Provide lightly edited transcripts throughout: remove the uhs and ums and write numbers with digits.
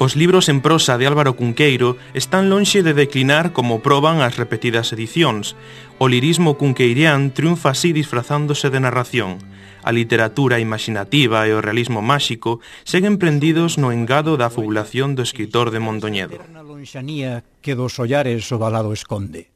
Os libros en prosa de Álvaro Cunqueiro están lonxe de declinar como proban as repetidas edicións. O lirismo cunqueirián triunfa así disfrazándose de narración. A literatura imaginativa e o realismo máxico seguen prendidos no engado da fabulación do escritor de Mondoñedo. Que dos ollares o valado esconde.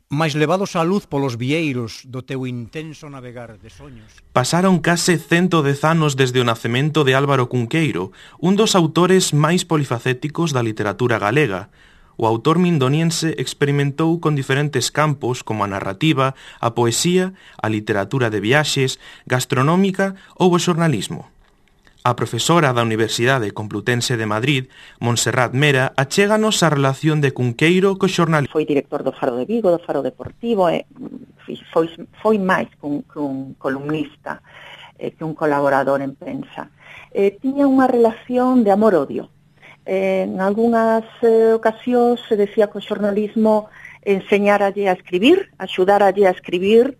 Mais levados á luz polos vieiros do teu intenso navegar de soños. Pasaron case 110 anos desde o nacemento de Álvaro Cunqueiro, un dos autores máis polifacéticos da literatura galega. O autor mindoniense experimentou con diferentes campos como a narrativa, a poesía, a literatura de viaxes, gastronómica ou o xornalismo. A profesora da Universidade Complutense de Madrid, Montserrat Mera, achéganos a relación de Cunqueiro co xornalismo. Foi director do Faro de Vigo, do Faro Deportivo, foi máis que un columnista, que un colaborador en prensa. Tiña unha relación de amor-odio. En algunhas ocasións se decía que o xornalismo enseñáralle a escribir, axudáralle a escribir.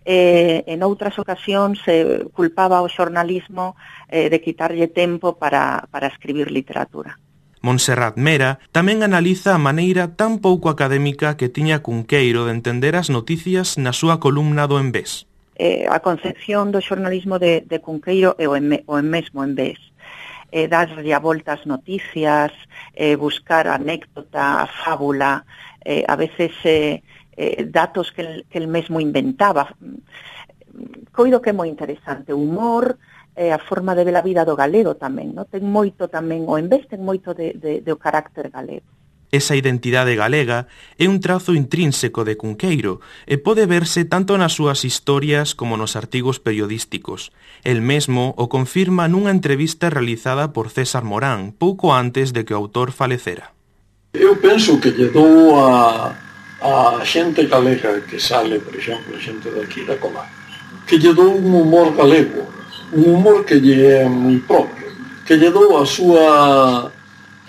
En outras ocasións culpaba o xornalismo de quitarlle tempo para escribir literatura. Montserrat Mera tamén analiza a maneira tan pouco académica que tiña Cunqueiro de entender as noticias na súa columna do En Vés. A concepción do xornalismo de Cunqueiro é o mesmo En Vés. Darlle a volta ás noticias, buscar anécdota, fábula, a veces datos que el mesmo inventaba. Coido que é moi interesante. O humor, a forma de ver a vida do galego tamén, non? Ten moito tamén, o En Vés ten moito do carácter galego. Esa identidade galega é un trazo intrínseco de Cunqueiro e pode verse tanto nas súas historias como nos artigos periodísticos. El mesmo o confirma nunha entrevista realizada por César Morán pouco antes de que o autor falecera. Eu penso que lle dou a xente galega que sale, por exemplo, a xente daqui da Comarca, que lle dou un humor galego, un humor que lle é moi propio, que lle dou a súa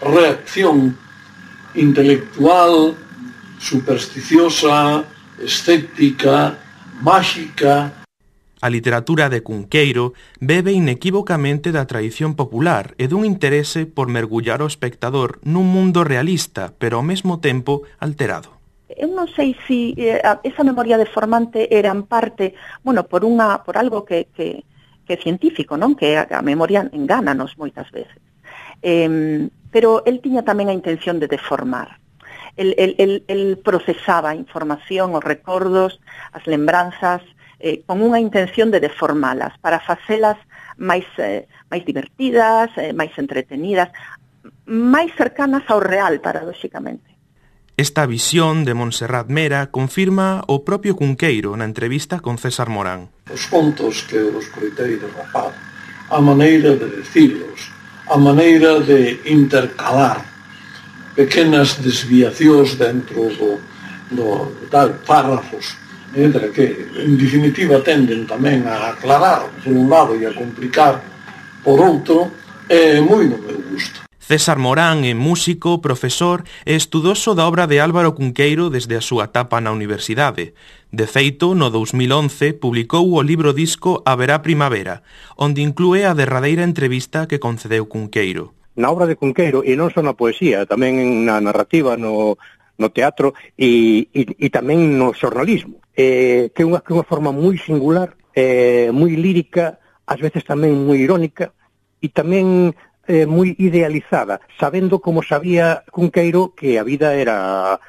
reacción intelectual, supersticiosa, escéptica, máxica. A literatura de Cunqueiro bebe inequívocamente da tradición popular e dun interese por mergullar o espectador nun mundo realista, pero ao mesmo tempo alterado. Eu non sei se esa memoria deformante era en parte, por algo que é científico, non? Que a memoria engánanos moitas veces. Pero el tiña tamén a intención de deformar. El procesaba a información, os recordos, as lembranzas, con unha intención de deformalas, para facelas máis divertidas, máis entretenidas, máis cercanas ao real, paradóxicamente. Esta visión de Montserrat Mera confirma o propio Cunqueiro na entrevista con César Morán. Os contos que os coitei de rapaz, a maneira de decilos, a maneira de intercalar pequenas desviacións dentro do tal párrafos, entre que, en definitiva, tenden tamén a aclarar por un lado e a complicar por outro, é moi no meu gusto. César Morán é músico, profesor e estudoso da obra de Álvaro Cunqueiro desde a súa etapa na universidade. De feito, no 2011 publicou o libro disco Haberá Primavera, onde inclúe a derradeira entrevista que concedeu Cunqueiro. Na obra de Cunqueiro, e non só na poesía, tamén na narrativa, no teatro e tamén no xornalismo, que é unha forma moi singular, moi lírica, ás veces tamén moi irónica, e tamén moi idealizada, sabendo como sabía Cunqueiro que a vida era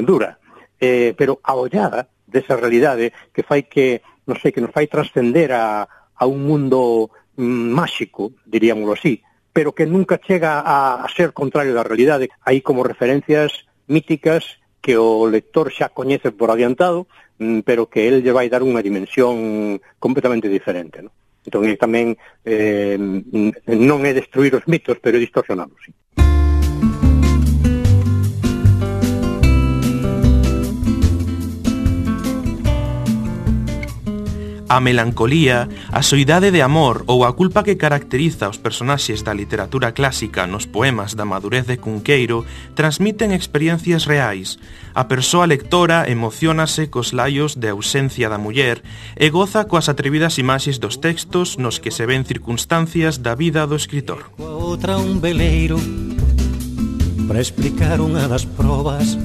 dura, pero a ollada desa realidade que fai que nos fai trascender a un mundo máxico, diríamoslo así, pero que nunca chega a ser contrario da realidade. Hai como referencias míticas que o lector xa coñece por adiantado, pero que el lle vai dar unha dimensión completamente diferente, non? Entón, tamén non é destruir os mitos, pero é distorsionalos, sí. A melancolía, a soidade de amor ou a culpa que caracteriza os personaxes da literatura clásica nos poemas da madurez de Cunqueiro transmiten experiencias reais. A persoa lectora emocionase cos laios de ausencia da muller e goza coas atrevidas imaxes dos textos nos que se ven circunstancias da vida do escritor. Outra un veleiro para explicar unha das probas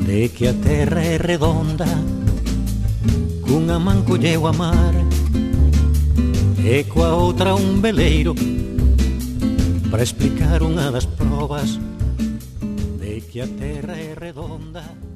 de que a terra é redonda. Cunha man colleu a mar e coa outra un veleiro para explicar unha das probas de que a terra é redonda.